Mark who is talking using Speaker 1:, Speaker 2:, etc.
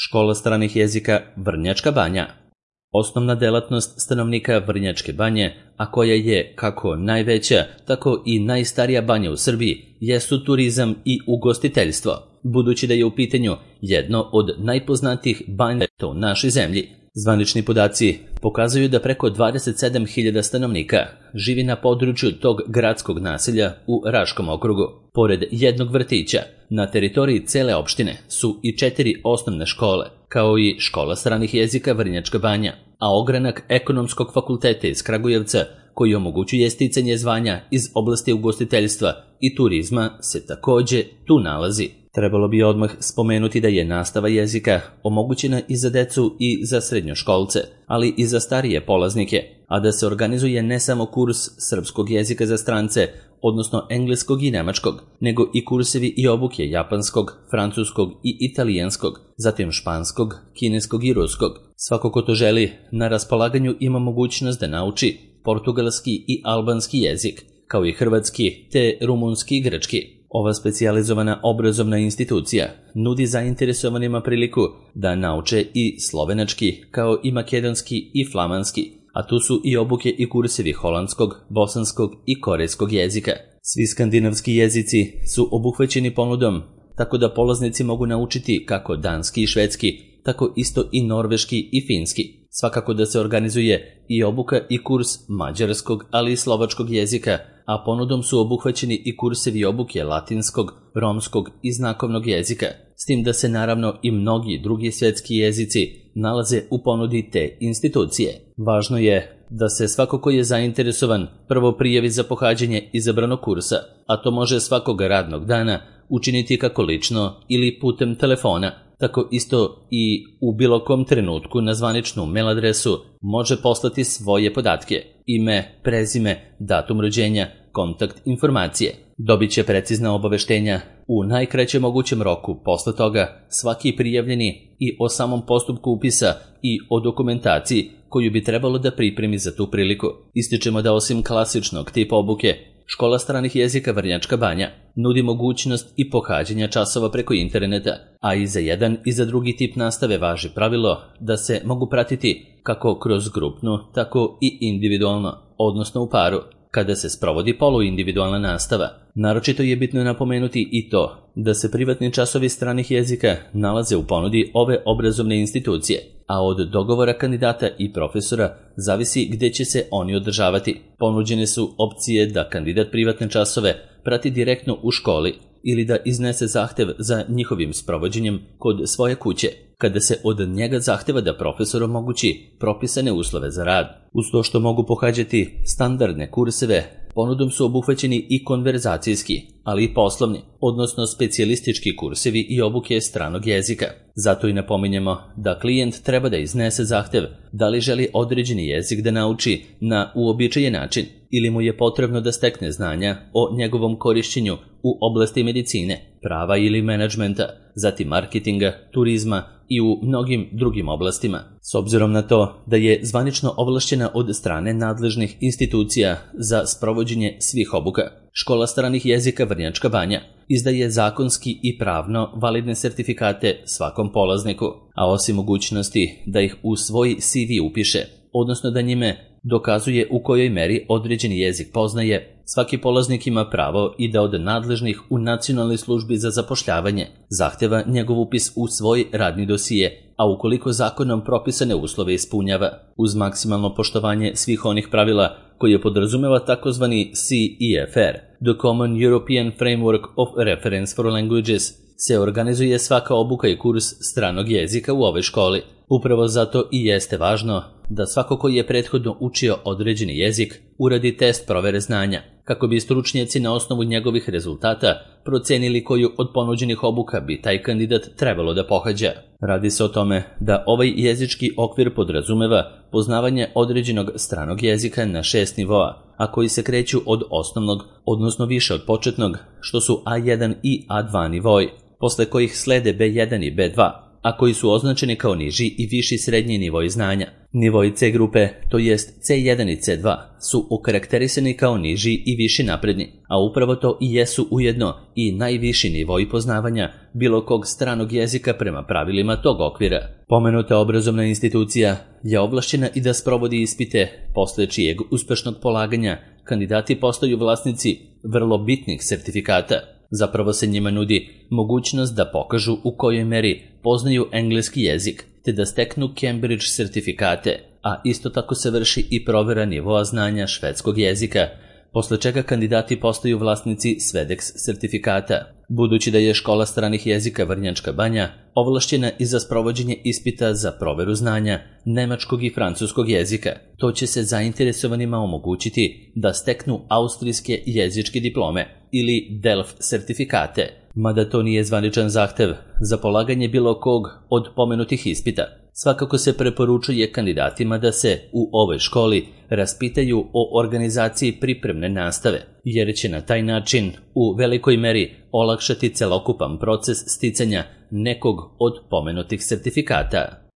Speaker 1: Škola stranih jezika Vrnjačka Banja. Osnovna delatnost stanovnika Vrnjačke Banje, a koja je kako najveća, tako i najstarija banja u Srbiji, jesu turizam i ugostiteljstvo, budući da je u pitanju jedno od najpoznatijih banja u našoj zemlji. Zvanični podaci pokazuju da preko 27.000 stanovnika živi na području tog gradskog naselja u Raškom okrugu. Pored jednog vrtića, na teritoriji cele opštine su i 4 osnovne škole, kao i škola stranih jezika Vrnjačka Banja, a ogranak Ekonomskog fakulteta iz Kragujevca, koji omogućuje sticanje zvanja iz oblasti ugostiteljstva i turizma, se takođe tu nalazi. Trebalo bi odmah spomenuti da je nastava jezika omogućena i za decu i za srednjoškolce, ali i za starije polaznike, a da se organizuje ne samo kurs srpskog jezika za strance, odnosno engleskog i nemačkog, nego i kursevi i obuke japanskog, francuskog i italijanskog, zatim španskog, kineskog i ruskog. Svako ko to želi, na raspolaganju ima mogućnost da nauči portugalski i albanski jezik, kao i hrvatski te rumunski i grčki. Ova specijalizovana obrazovna institucija nudi zainteresovanima priliku da nauče i slovenački, kao i makedonski i flamanski, a tu su i obuke i kursevi holandskog, bosanskog i korejskog jezika. Svi skandinavski jezici su obuhvaćeni ponudom, tako da polaznici mogu naučiti kako danski i švedski, tako isto i norveški i finski. Svakako da se organizuje i obuka i kurs mađarskog, ali i slovačkog jezika, a ponudom su obuhvaćeni i kursevi obuke latinskog, romskog i znakovnog jezika, s tim da se naravno i mnogi drugi svetski jezici nalaze u ponudi te institucije. Važno je da se svako ko je zainteresovan prvo prijavi za pohađanje izabranog kursa, a to može svakog radnog dana učiniti kako lično ili putem telefona, tako isto i u bilo kom trenutku na zvaničnu mail adresu može poslati svoje podatke, ime, prezime, datum rođenja, kontakt informacije. Dobit će precizna obaveštenja u najkraćem mogućem roku. Posle toga svaki prijavljeni i o samom postupku upisa i o dokumentaciji koju bi trebalo da pripremi za tu priliku. Ističemo da osim klasičnog tipa obuke, Škola stranih jezika Vrnjačka Banja nudi mogućnost i pohađanja časova preko interneta, a i za jedan i za drugi tip nastave važi pravilo da se mogu pratiti kako kroz grupnu, tako i individualno, odnosno u paru, kada se sprovodi poluindividualna nastava. Naročito je bitno napomenuti i to da se privatni časovi stranih jezika nalaze u ponudi ove obrazovne institucije, a od dogovora kandidata i profesora zavisi gde će se oni održavati. Ponuđene su opcije da kandidat privatne časove prati direktno u školi ili da iznese zahtev za njihovim sprovođenjem kod svoje kuće, kada se od njega zahteva da profesor omogući propisane uslove za rad. Uz to što mogu pohađati standardne kurseve, ponudom su obuhvaćeni i konverzacijski, ali i poslovni, odnosno specijalistički kursevi i obuke stranog jezika. Zato i napominjemo da klijent treba da iznese zahtev da li želi određeni jezik da nauči na uobičajen način ili mu je potrebno da stekne znanja o njegovom korišćenju u oblasti medicine, prava ili menadžmenta, zatim marketinga, turizma i u mnogim drugim oblastima. S obzirom na to da je zvanično ovlašćena od strane nadležnih institucija za sprovođenje svih obuka, Škola stranih jezika Vrnjačka Banja izdaje zakonski i pravno validne sertifikate svakom polazniku, a osim mogućnosti da ih u svoj CV upiše, odnosno da njime dokazuje u kojoj meri određeni jezik poznaje, svaki polaznik ima pravo i da od nadležnih u Nacionalnoj službi za zapošljavanje zahteva njegov upis u svoj radni dosije, a ukoliko zakonom propisane uslove ispunjava, uz maksimalno poštovanje svih onih pravila koje podrazumeva takozvani CEFR, The Common European Framework of Reference for Languages, se organizuje svaka obuka i kurs stranog jezika u ovoj školi. Upravo zato i jeste važno da svako koji je prethodno učio određeni jezik uradi test provere znanja, kako bi stručnjaci na osnovu njegovih rezultata procenili koju od ponuđenih obuka bi taj kandidat trebalo da pohađa. Radi se o tome da ovaj jezički okvir podrazumeva poznavanje određenog stranog jezika na 6 nivoa, a koji se kreću od osnovnog, odnosno više od početnog, što su A1 i A2 nivoi, posle kojih slede B1 i B2, a koji su označeni kao niži i viši srednji nivoi znanja. Nivoi C grupe, to jest C1 i C2, su okarakterisani kao niži i viši napredni, a upravo to i jesu ujedno i najviši nivoi poznavanja bilo kog stranog jezika prema pravilima tog okvira. Pomenuta obrazovna institucija je ovlašćena i da sprovodi ispite, posle čijeg uspešnog polaganja kandidati postaju vlasnici vrlo bitnih sertifikata. Zapravo se njima nudi mogućnost da pokažu u kojoj meri poznaju engleski jezik, te da steknu Cambridge sertifikate, a isto tako se vrši i provera nivoa znanja švedskog jezika, posle čega kandidati postaju vlasnici Svedex sertifikata. Budući da je škola stranih jezika Vrnjačka Banja ovlašćena i za sprovođenje ispita za proveru znanja nemačkog i francuskog jezika, to će se zainteresovanima omogućiti da steknu austrijske jezičke diplome ili DELF sertifikate, mada to nije zvaničan zahtev za polaganje bilo kog od pomenutih ispita. Svakako se preporučuje kandidatima da se u ovoj školi raspitaju o organizaciji pripremne nastave, jer će na taj način u velikoj meri olakšati celokupan proces sticanja nekog od pomenutih sertifikata.